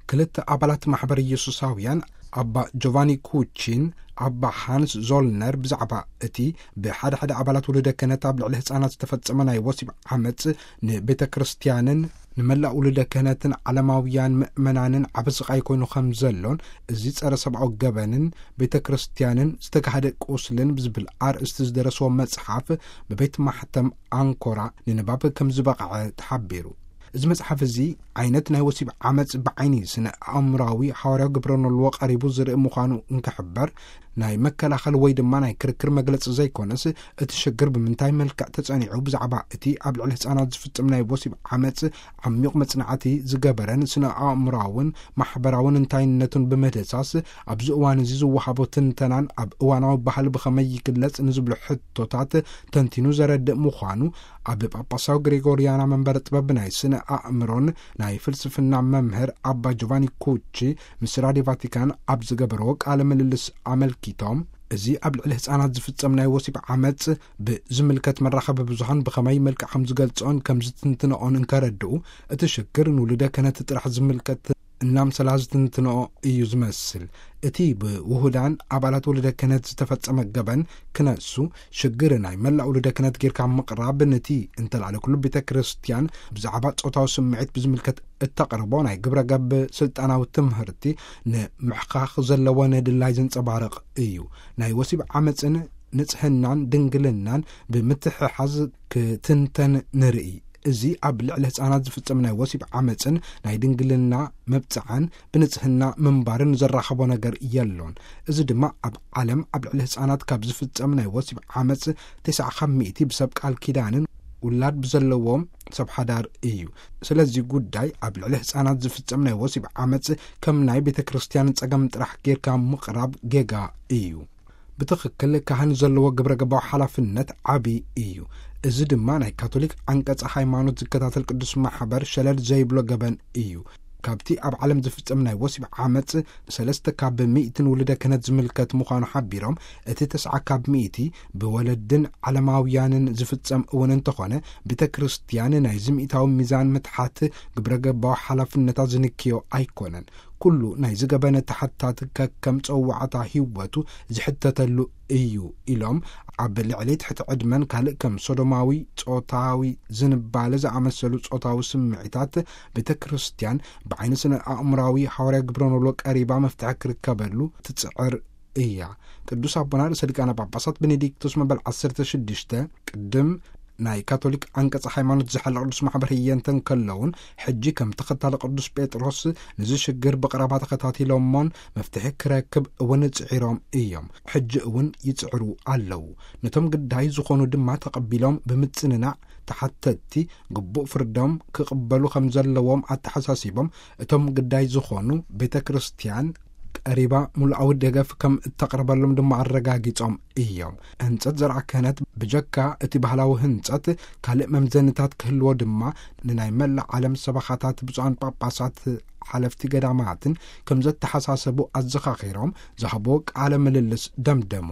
ክልተ ኣባላት ማሕበር ኢየሱሳውያን፣ ኣባ ጆቫኒ ኩቺን ኣባ ሃንስ ዞልነር፣ ብዛዕባ እቲ ብሓደ ሓደ ኣባላት ውሉደ ክህነት ኣብ ልዕሊ ህጻናት ዝተፈጸመ ናይ ወሲብ ዓመጽ ንቤተ ክርስቲያንን ንመላእ ውሉደ ክህነትን ዓለማውያን ምእመናንን ዓቢ ስቓይ ኮይኑ ከም ዘሎን፣ እዚ ጸረ ሰብኣዊ ገበንን ቤተ ክርስቲያንን ዝተጋህደ ቁስልን ብዝብል ኣርእስቲ ዝደረስዎ መጽሓፍ ብቤት ማሕተም ኣንኮራ ንንባብ ከም ዝበቕዐ ተሓቢሩ። እዚ መጽሓፍ እዚ ዓይነት ናይ ወሲብ ዓመጽ ብዓይኒ ስነ ኣእምራዊ ሓዋርያዊ ግብረ ኖልዎ ቀሪቡ ዝርኢ ምዃኑ እንክሕበር፣ ናይ መከላኸል ወይ ድማ ናይ ክርክር መግለጺ ዘይኮነስ፣ እቲ ሽግር ብምንታይ መልክዕ ተጸኒዑ፣ ብዛዕባ እቲ ኣብ ልዕሊ ህጻናት ዝፍጽም ናይ ወሲብ ዓመጽ ዓሚቕ መጽናዕቲ ዝገበረን ስነ ኣእምራውን ማሕበራውን እንታይነቱን ብምድህሳስ፣ ኣብዚ እዋን እዚ ዝወሃቦ ትንተናን ኣብ እዋናዊ ባህሊ ብኸመይ ይግለጽ ንዝብሉ ሕቶታት ተንቲኑ ዘረድእ ምዃኑ፣ ኣብ ጳጳሳዊ ግሪጎርያና መንበረ ጥበብ ናይ ስነ ኣእምሮን ናይ ፍልስፍና መምህር ኣባ ጆቫኒ ኩቺ ምስ ራድዮ ቫቲካን ኣብ ዝገበርዎ ቃለ ምልልስ ኣመልኪቶም፣ እዚ ኣብ ልዕሊ ህጻናት ዝፍጸም ናይ ወሲብ ዓመጽ ብዝምልከት መራኸቢ ብዙሃን ብኸመይ መልክዕ ከም ዝገልጽኦን ከም ዝትንትንኦን እንከረድኡ፣ እቲ ሽግር ንውሉደ ክህነት ጥራሕ ዝምልከት እናምሰላ ዝትንትንኦ እዩ ዝመስል። እቲ ብውሁዳን ኣባላት ውሉደ ክህነት ዝተፈጸመ ገበን ክነሱ፣ ሽግር ናይ መላእ ውሉደ ክህነት ጌርካ ምቕራብ፣ ነቲ እንተላዕለ ኩሉ ቤተ ክርስቲያን ብዛዕባ ጾታዊ ስምዒት ብዝምልከት እተቕርቦ ናይ ግብረ ገብ ስልጣናዊ ትምህርቲ ንምሕኻኽ ዘለዎ ነድላይ ዘንጸባርቕ እዩ። ናይ ወሲብ ዓመጽን ንጽህናን ድንግልናን ብምትሕሓዝ ክትንተን ንርኢ። እዚ ኣብ ልዕሊ ህጻናት ዝፍጸም ናይ ወሲብ ዓመጽን ናይ ድንግልና መብጽዓን ብንጽህና ምንባርን ዘራኸቦ ነገር የሎን። እዚ ድማ ኣብ ዓለም ኣብ ልዕሊ ህጻናት ካብ ዝፍጸም ናይ ወሲብ ዓመጽ ተስዓ ካብ ሚእቲ ብሰብ ቃል ኪዳንን ውላድ ብዘለዎም ሰብ ሓዳር እዩ። ስለዚ ጉዳይ ኣብ ልዕሊ ህጻናት ዝፍጸም ናይ ወሲብ ዓመጽ ከም ናይ ቤተ ክርስቲያን ጸገም ጥራሕ ጌርካ ምቕራብ ጌጋ እዩ። ብትኽክል ካህን ዘለዎ ግብረ ገባዊ ሓላፍነት ዓቢ እዩ። እዚ ድማ ናይ ካቶሊክ ዓንቀጸ ሃይማኖት ዝከታተል ቅዱስ ማሕበር ሸለል ዘይብሎ ገበን እዩ። ካብቲ ኣብ ዓለም ዝፍጸም ናይ ወሲብ ዓመጽ፣ ሰለስተ ካብ ሚእትን ውሉደ ክህነት ዝምልከት ምዃኑ ሓቢሮም፣ እቲ ተስዓ ካብ ሚእቲ ብወለድን ዓለማውያንን ዝፍጸም እውን እንተኾነ፣ ቤተ ክርስቲያን ናይዚ ሚእታዊ ሚዛን ምትሓት ግብረ ገባዊ ሓላፍነታ ዝንክዮ ኣይኮነን። ኩሉ ናይዚ ገበን ተሓታት ከከም ጸዋዕታ ህይወቱ ዝሕተተሉ እዩ ኢሎም፣ ኣብ ልዕሊ ትሕቲ ዕድመን ካልእ ከም ሶዶማዊ ጾታዊ ዝንባለ ዝኣመሰሉ ጾታዊ ስምዒታት ቤተ ክርስቲያን ብዓይኒ ስነ ኣእምራዊ ሓዋርያ ግብረ ኖሎ ቀሪባ መፍትሒ ክርከበሉ ትጽዕር እያ። ቅዱስ ኣቦና ርእሰ ሊቃነ ጳጳሳት ቤኔዲክቶስ መበል ዓሰርተ ሽዱሽተ ቅድም ናይ ካቶሊክ ዓንቀጽ ሃይማኖት ዝሓለ ቅዱስ ማሕበር ህየንተ እንከለውን፣ ሕጂ ከም ተኸታሊ ቅዱስ ጴጥሮስ ንዚ ሽግር ብቕረባ ተኸታቲሎሞን መፍትሒ ክረክብ እውን ጽዒሮም እዮም። ሕጂ እውን ይጽዕሩ ኣለዉ። ነቶም ግዳይ ዝኾኑ ድማ ተቐቢሎም ብምጽንናዕ፣ ተሓተትቲ ግቡእ ፍርዶም ክቕበሉ ከም ዘለዎም ኣተሓሳሲቦም፣ እቶም ግዳይ ዝኾኑ ቤተ ክርስቲያን ቀሪባ ምሉኣዊ ደገፍ ከም እተቕርበሎም ድማ ኣረጋጊጾም እዮም። ህንጸት ዘርዓ ክህነት ብጀካ እቲ ባህላዊ ህንጸት ካልእ መምዘንታት ክህልዎ ድማ፣ ንናይ መላእ ዓለም ሰበኻታት፣ ብፁዓን ጳጳሳት፣ ሓለፍቲ ገዳማትን ከም ዘተሓሳሰቡ ኣዘኻኺሮም ዝሃብዎ ቃለ ምልልስ ደምደሙ።